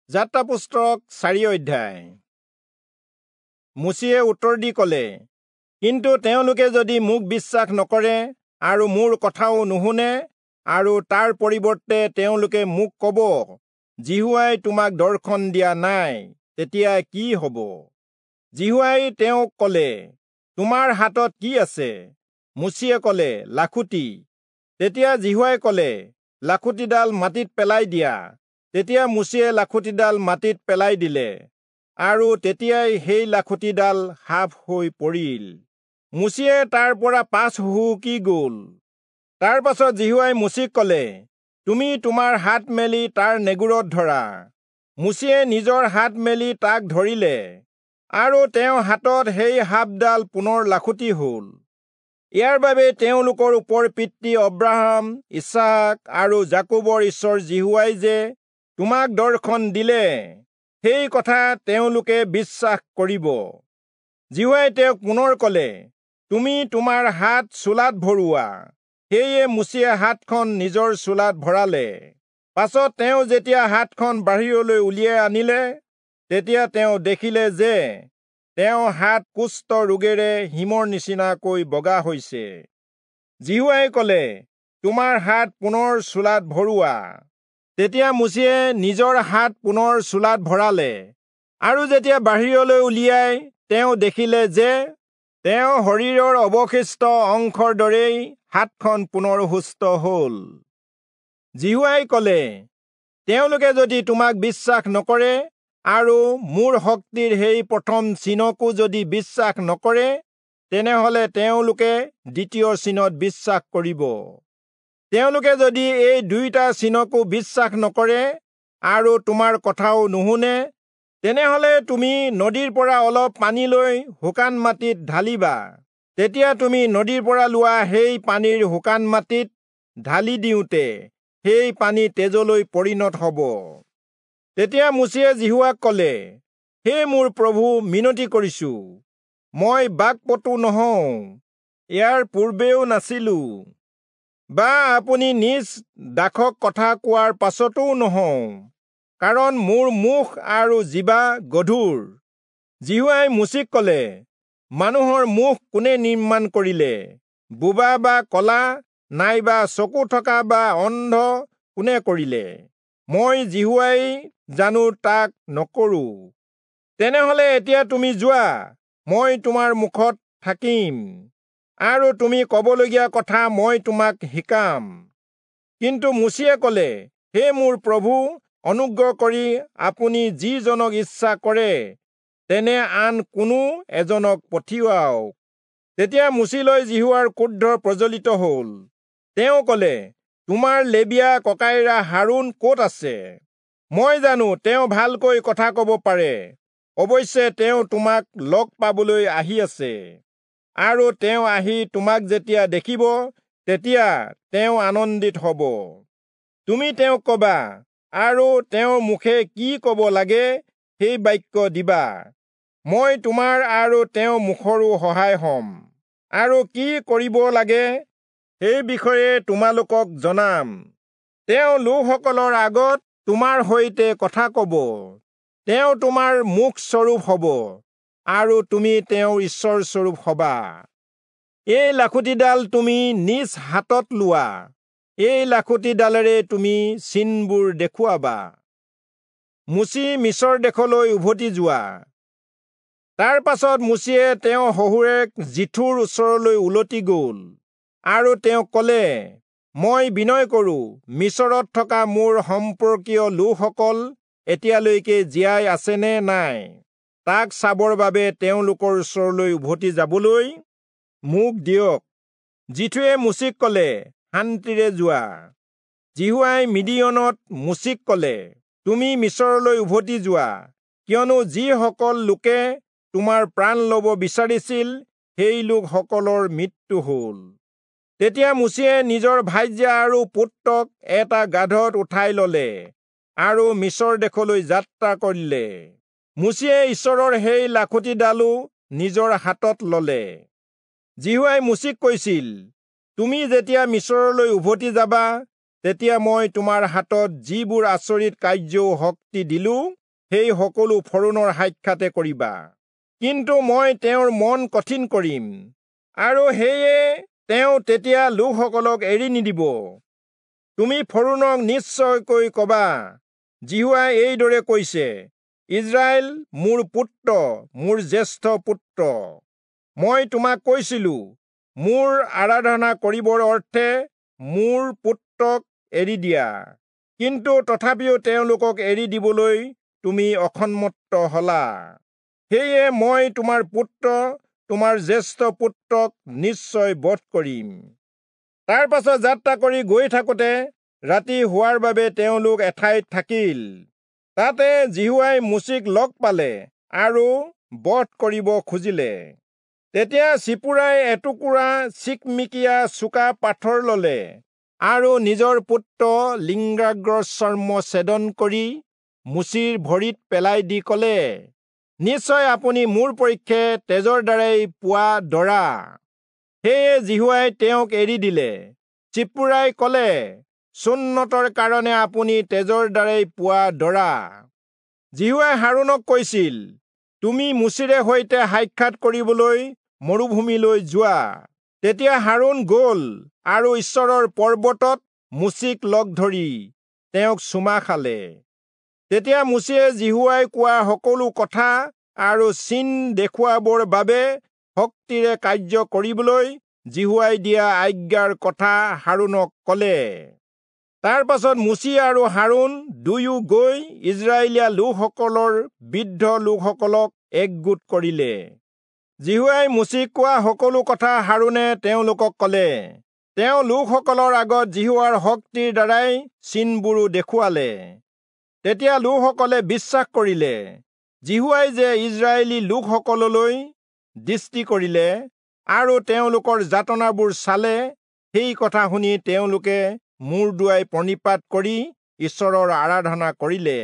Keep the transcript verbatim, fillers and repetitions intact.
যাত্ৰা পুস্তক চাৰি অধ্যায়। মোচিয়ে উত্তৰ দি কলে, কিন্তু তেওঁলোকে যদি মোক বিশ্বাস নকৰে আৰু মোৰ কথাও নুশুনে, আৰু তাৰ পৰিৱৰ্তে তেওঁলোকে মোক কব, যিহোৱাই তোমাক দৰ্শন দিয়া নাই, তেতিয়া কি হব? যিহোৱাই তেওঁক কলে, তোমাৰ হাতত কি আছে? মোচিয়ে কলে, লাখুটি। তেতিয়া যিহোৱাই কলে, লাখুটিডাল মাটিত পেলাই দিয়া। তেতিয়া মোচিয়ে লাখুটিডাল মাটিত পেলাই দিলে, আৰু তেতিয়াই সেই লাখুটিডাল সাপ হৈ পৰিল। মোচিয়ে তাৰ পৰা পাছ হুহুকি গল। তাৰ পাছত যিহোৱাই মোচিক কলে, তুমি তোমাৰ হাত মেলি তাৰ নেগুৰত ধৰা। মোচিয়ে নিজৰ হাত মেলি তাক ধৰিলে, আৰু তেওঁ হাতত সেই সাপডাল পুনৰ লাখুটি হল। ইয়াৰ বাবে তেওঁলোকৰ ওপৰ পিতৃ অব্ৰাহাম, ইছহাক আৰু যাকোবৰ ঈশ্বৰ যিহোৱাই যে তোমাক দৰ্শন দিলে, সেই কথা তেওঁলোকে বিশ্বাস কৰিব। যিহোৱাই তেওঁক পুনৰ কলে, তুমি তোমাৰ হাত চোলাত ভৰোৱা। সেয়ে মোচিয়ে হাতখন নিজৰ চোলাত ভৰালে। পাছত তেওঁ যেতিয়া হাতখন বাহিৰলৈ উলিয়াই আনিলে, তেতিয়া তেওঁ দেখিলে যে তেওঁ হাত কুষ্ঠ ৰোগেৰে হিমৰ নিচিনাকৈ বগা হৈছে। যিহোৱাই কলে, তোমাৰ হাত পুনৰ চোলাত ভৰোৱা। তেতিয়া মোচিয়ে নিজৰ হাত পুনৰ চোলাত ভৰালে, আৰু যেতিয়া বাহিৰলৈ উলিয়াই তেওঁ দেখিলে যে তেওঁ শৰীৰৰ অৱশিষ্ট অংশৰ দৰেই হাতখন পুনৰ সুস্থ হল। যিহোৱাই কলে, তেওঁলোকে যদি তোমাক বিশ্বাস নকৰে আৰু মোৰ শক্তিৰ সেই প্ৰথম চিনকো যদি বিশ্বাস নকৰে, তেনেহলে তেওঁলোকে দ্বিতীয় চিনত বিশ্বাস কৰিব। তেওঁলোকে যদি এই দুয়োটা চিনকো বিশ্বাস নকৰে আৰু তোমাৰ কথাও নুশুনে, তেনেহলে তুমি নদীৰ পৰা অলপ পানী লৈ শুকান মাটিত ঢালিবা। তেতিয়া তুমি নদীৰ পৰা লোৱা সেই পানীৰ শুকান মাটিত ঢালি দিওঁতে সেই পানী তেজলৈ পৰিণত হব। তেতিয়া মোচিয়ে যিহোৱাক কলে, হে মোৰ প্ৰভু, মিনতি কৰিছো, মই বাকপটু নহওঁ, ইয়াৰ পূৰ্বেও নাছিলো, বা আপুনি নিজ দাসক কথা কোৱাৰ পাছতো নহওঁ, কাৰণ মোৰ মুখ আৰু জিভা গধুৰ। যিহোৱাই মোচিক কলে, মানুহৰ মুখ কোনে নিৰ্মাণ কৰিলে? বোবা বা কলা, নাইবা চকু থকা বা অন্ধ কোনে কৰিলে? মই যিহোৱাই জানো তাক নকৰো? তেনেহলে এতিয়া তুমি যোৱা, মই তোমাৰ মুখত থাকিম, আৰু তুমি কবলগীয়া কথা মই তোমাক শিকাম। কিন্তু মোচিয়ে কলে, হে মোৰ প্ৰভু, অনুগ্ৰহ কৰি আপুনি যিজনক ইচ্ছা কৰে তেনে আন কোনো এজনক পঠিয়াওক। তেতিয়া মোচিলৈ যিহোৱাৰ ক্ৰোধ প্ৰজ্বলিত হল। তেওঁ কলে, তোমাৰ লেবীয়া ককাইৰা হাৰোণ ক'ত আছে? মই জানো তেওঁ ভালকৈ কথা কব পাৰে। অৱশ্যে তেওঁ তোমাক লগ পাবলৈ আহি আছে, আৰু তেওঁ আহি তোমাক যেতিয়া দেখিব, তেতিয়া তেওঁ আনন্দিত হব। তুমি তেওঁক কবা, আৰু তেওঁৰ মুখে কি কব লাগে সেই বাক্য দিবা। মই তোমাৰ আৰু তেওঁৰ মুখৰো সহায় হম, আৰু কি কৰিব লাগে সেই বিষয়ে তোমালোকক জনাম। তেওঁ লোকসকলৰ আগত তোমাৰ সৈতে কথা কব। তেওঁ তোমাৰ মুখ স্বৰূপ হব, আৰু তুমি তেওঁৰ ঈশ্বৰ স্বৰূপ হবা। এই লাখুটিডাল তুমি নিজ হাতত লোৱা, এই লাখুটিডালেৰে তুমি চিনবোৰ দেখুৱাবা। মোচি মিচৰ দেশলৈ উভতি যোৱা। তাৰ পাছত মোচিয়ে তেওঁ শহুৰেক যিথোৰ ওচৰলৈ উলটি গল, আৰু তেওঁক কলে, মই বিনয় কৰো, মিচৰত থকা মোৰ সম্পৰ্কীয় লোকসকল এতিয়ালৈকে জীয়াই আছেনে নাই, তাক চাবৰ বাবে তেওঁলোকৰ ওচৰলৈ উভতি যাবলৈ মোক দিয়ক। যিথোৱে মোচিক কলে, শান্তিৰে যোৱা। যিহোৱাই মিদিয়নত মোচিক কলে, তুমি মিচৰলৈ উভতি যোৱা, কিয়নো যিসকল লোকে তোমাৰ প্ৰাণ লব বিচাৰিছিল, সেই লোকসকলৰ মৃত্যু হল। তেতিয়া মোচিয়ে নিজৰ ভাৰ্যা আৰু পুত্ৰক এটা গাধত উঠাই ললে আৰু মিচৰ দেশলৈ যাত্ৰা কৰিলে। মোচিয়ে ঈশ্বৰৰ সেই লাখুটিডালো নিজৰ হাতত ললে। যিহোৱাই মোচিক কৈছিল, তুমি যেতিয়া মিচৰলৈ উভতি যাবা, তেতিয়া মই তোমাৰ হাতত যিবোৰ আচৰিত কাৰ্যও শক্তি দিলো, সেই সকলো ফৰোণৰ সাক্ষাতে কৰিবা। কিন্তু মই তেওঁৰ মন কঠিন কৰিম, আৰু সেয়ে তেওঁ তেতিয়া লোকসকলক এৰি নিদিব। তুমি ফৰোণক নিশ্চয়কৈ কবা, যিহোৱাই এইদৰে কৈছে, ইস্ৰায়েল মোৰ পুত্ৰ, মোৰ জ্যেষ্ঠ পুত্ৰ। মই তোমাক কৈছিলো, মোৰ আৰাধনা কৰিবৰ অৰ্থে মোৰ পুত্ৰক এৰি দিয়া, কিন্তু তথাপিও তেওঁলোকক এৰি দিবলৈ তুমি অসন্মত হলা। সেয়ে মই তোমাৰ পুত্ৰ, তোমাৰ জ্যেষ্ঠ পুত্ৰক নিশ্চয় বধ কৰিম। তাৰ পাছত যাত্ৰা কৰি গৈ থাকোঁতে ৰাতি হোৱাৰ বাবে তেওঁলোক এঠাইত থাকিল। তাতে যিহোৱাই মোচিক লগ পালে আৰু বধ কৰিব খুজিলে। তেতিয়া চিপুৰাই এটুকুৰা চিকমিকিয়া চোকা পাথৰ ললে আৰু নিজৰ পুত্ৰ লিংগাগ্ৰৰ চৰ্ম ছেদন কৰি মোচিৰ ভৰিত পেলাই দি কলে, নিশ্চয় আপুনি মোৰ পক্ষে তেজৰ দ্বাৰাই পোৱা দৰা। সেয়ে যিহোৱাই তেওঁক এৰি দিলে। চিপুৰাই কলে, চুন্নতৰ কাৰণে আপুনি তেজৰ দ্বাৰাই পোৱা দৰা। যিহোৱাই হাৰোণক কৈছিল, তুমি মোচিৰে সৈতে সাক্ষাৎ কৰিবলৈ মৰুভূমিলৈ যোৱা। তেতিয়া হাৰোণ গল আৰু ঈশ্বৰৰ পৰ্বতত মোচিক লগ ধৰি তেওঁক চুমা খালে। তেতিয়া মোচিয়ে যিহোৱাই কোৱা সকলো কথা আৰু চিন দেখুৱাবৰ বাবে শক্তিৰে কাৰ্য কৰিবলৈ যিহোৱাই দিয়া আজ্ঞাৰ কথা হাৰোণক কলে। তাৰ পাছত মোচি আৰু হাৰোণ দুয়ো গৈ ইস্ৰায়েলীয়া লোকসকলৰ বৃদ্ধ লোকসকলক একগোট কৰিলে। যিহোৱাই মোচিক কোৱা সকলো কথা হাৰোণে তেওঁলোকক কলে। তেওঁ লোকসকলৰ আগত যিহোৱাৰ শক্তিৰ দ্বাৰাই চিনবোৰো দেখুৱালে। তেতিয়া লোকসকলে বিশ্বাস কৰিলে, যিহোৱাই যে ইস্ৰায়েলী লোকসকললৈ দৃষ্টি কৰিলে আৰু তেওঁলোকৰ যাতনাবোৰ চালে, সেই কথা শুনি তেওঁলোকে মূৰ দোৱাই প্ৰণিপাত কৰি ঈশ্বৰৰ আৰাধনা কৰিলে।